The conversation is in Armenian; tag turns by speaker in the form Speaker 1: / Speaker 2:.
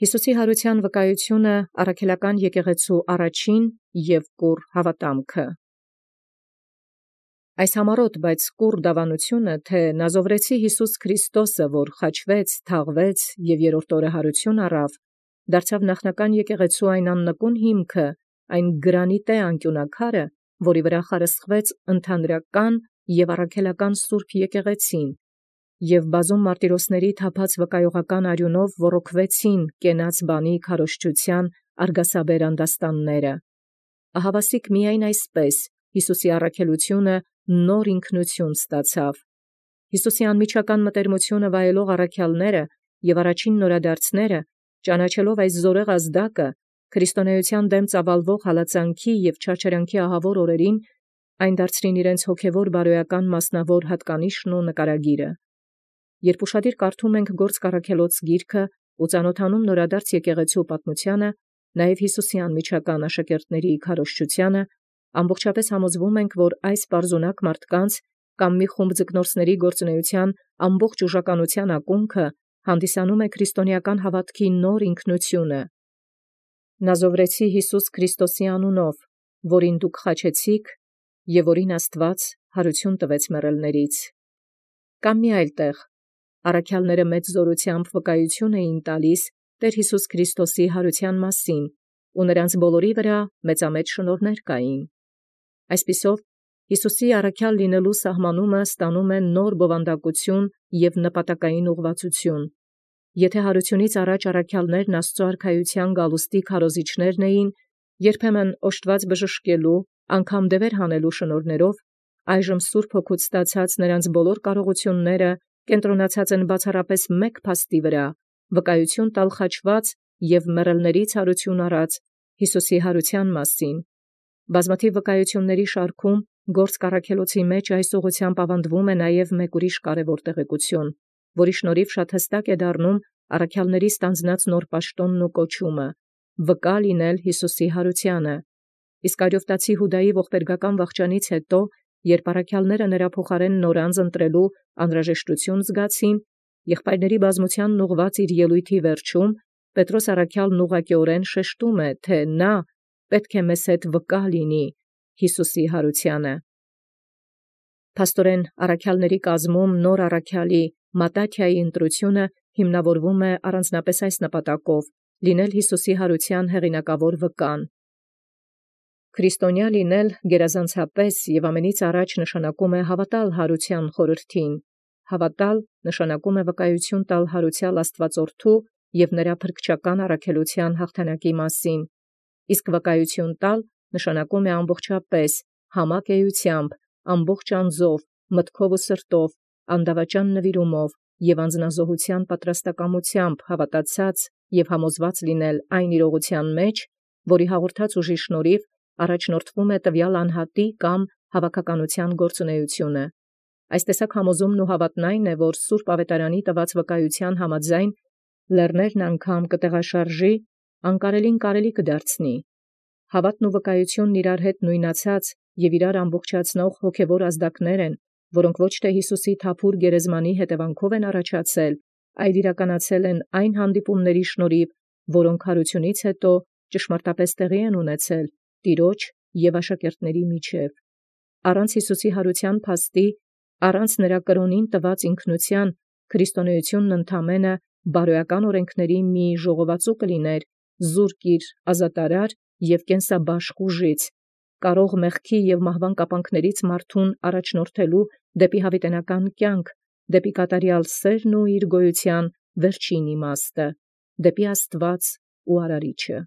Speaker 1: Յիսուսի յարութեան վկայութիւնը առաքելական եկեղեցւոյ առաջին և կուռ հաւատամքը։ Այս համառոտ, բայց կուռ դաւանութիւնը, թէ Նազովրեցի Յիսուս Քրիստոսը, որ խաչվեց, թաղվեց և երրորդ օրը յարութիւն առավ, դարձավ նախնական եկեղեցւոյ այն աննկուն հիմքը, այն գրանիտէ անկիւնակարը, որի վրայ խարսխվեց ընդհանրական և առաքելական սուրբ եկեղեցին, և բազում մարտիրոսացն թափած վկայողական արիւնով ոռոգվեցին կենաց բանի քարոզչութեան արգասաբեր անդաստանները։ Ահավասիկ միայն այսպէս Յիսուսի առաքելութիւնը նոր ինքնութիւն ստացավ։ Յիսուսի անմիջական մտերմութիւնը վայելող առաքելոցն և առաջին նորադարձս, ճանաչելով այս զորեղ ազդակը, քրիստոնեության դեմ ծավալվող հալածանքի և չարչարանքի ահավոր օրերին, այն դարձրին իրենց հոգևոր բարոյական մասնավոր հատկանիշն ու նկարագիրը։ Երբ ուշադիր կարդում ենք Գործք Առաքելոց գիրքը ու ծանոթանում նորադարձ եկեղեցւոյ պատմութեանը, նաև Յիսուսի անմիջական աշակերտացն քարոզչութեանը, ամբողջապէս համոզվում ենք, որ այս պարզունակ մարդկանց կամ մի խումբ ձկնորսների գործունեության ամբողջ ուժականութեան ակունքը հանդիսանում է քրիստոնեական հաւատքի նոր ինքնութիւնը։ Նազովրեցի Յիսուս Քրիստոսի անունով, որին դուք խաչեցիք և որին Աստուած յարութիւն տվեց մեռելներից։ Կամ մի այլ տեղ, առաքելոցն մեծ զօրութեամբ վկայութիւն էին տալիս Տէր Յիսուս Քրիստոսի յարութեան մասին, ու նոցանց բոլորի վրայ մեծամեծ շնորհներ կային։ Այսպիսով, Յիսուսի առաքյալ լինելոյ սահմանումը ստանում է նոր բովանդակութիւն և նպատակային ուղղվածութիւն։ Եթէ յարութիւնից առաջ առաքելոցն Աստուծոյ արքայութեան գալուստի քարոզիչներն էին, երբեմն օժտված բժշկելու, անգամ դևեր հանելու շնորհներով, այժմ Սուրբ Հոգուց ստացած նոցանց բոլոր կարողութիւնները կենտրոնացած են բացառապես մեկ փաստի վրա, վկայութիւն տալ խաչված և մեռելներից յարութիւն առած Յիսուսի յարութեան մասին։ Բազմաթիւ վկայութիւնացն շարքում Գործք Առաքելոցի մեջ այս ուղղութեամբ աւանդվում է նաև մեկ ուրիշ կարևոր տեղեկութիւն, որի շնորհիվ շատ հստակ է դառնում առաքելոցն ստանձնած նոր պաշտոնն ու կոչումը՝ վկա լինել Յիսուսի յարութեանը։ Իսկ Արիովտացի Յուդայի ողբերգական վախճանից յետո, երբ առաքելոցն նրա փոխարեն նորանձ ընտրելու անհրաժեշտութիւն զգացին, եղբայրների բազմութեանն ուղղված իր ելույթի վերջում, Պետրոս առաքյալն ուղղակիորեն շեշտում է, թէ պետք է մեզ հետ վկա լինի Յիսուսի յարութեանը։ Փաստորեն առաքելոցն կազմում նոր առաքելի Մատթաթիայի ընտրութիւնը հիմնավորվում է առանձնապես այս նպատակով՝ լինել Յիսուսի յարութեան հեղինակավոր վկան։ Քրիստոնյա լինել գերազանցապես և ամենից առաջ նշանակում է հավատալ յարութեան խորհրդին։ Հավատալ նշանակում է վկայութիւն տալ յարութեալ Աստուածորդու և նրա փրկչական առաքելութեան հաղթանակի մասին, իսկ վկայութիւն տալ նշանակում է ամբողջապէս, համակ էութեամբ, ամբողջ անձով, մտքով ու սրտով, անդավաճան նվիրումով և անձնազոհութեան պատրաստակամութեամբ հավատացած և համոզված լինել այն իրողութեան մեջ, որի հաղորդած ուժի շնորհիվ առաջնորդվում է տվյալ անհատի կամ հավաքականութեան գործունեությունը։ Այս տեսակ համոզումն ու հաւատն այն է, որ Սուրբ Ավետարանի տված վկայութեան համաձայն լեռներն անգամ կտեղաշարժի, անկարելին կարելի կդարձնի։ Հաւատն ու վկայութիւնն իրար հետ նոյնացած և իրար ամբողջացնող հոգևոր ազդակներ են, որոնք ոչ թէ Յիսուսի թափուր գերեզմանի հետևանքով են առաջացել, այլ իրականացել են այն հանդիպումների շնորհիվ, որոնք յարութիւնից յետո ճշմարտապէս տեղի են ունեցել Տիրոջ և աշակերտացն միջև։ Առանց Յիսուսի յարութեան փաստի, առանց նրա կրոնին տված ինքնութեան, քրիստոնեությունն ընդամենը բարոյական օրենքների մի ժողովածու կլիներ, զուրկ իր ազատարար և կենսաբաշխ ուժից, կարող մեղքի և մահվան կապանքներից մարդուն առաջնորդելու դեպի յաւիտենական կյանք, դեպի կատարյալ սերն ու իր գոյութեան վերջին իմաստը, դեպի Աստուած ու Արարիչը։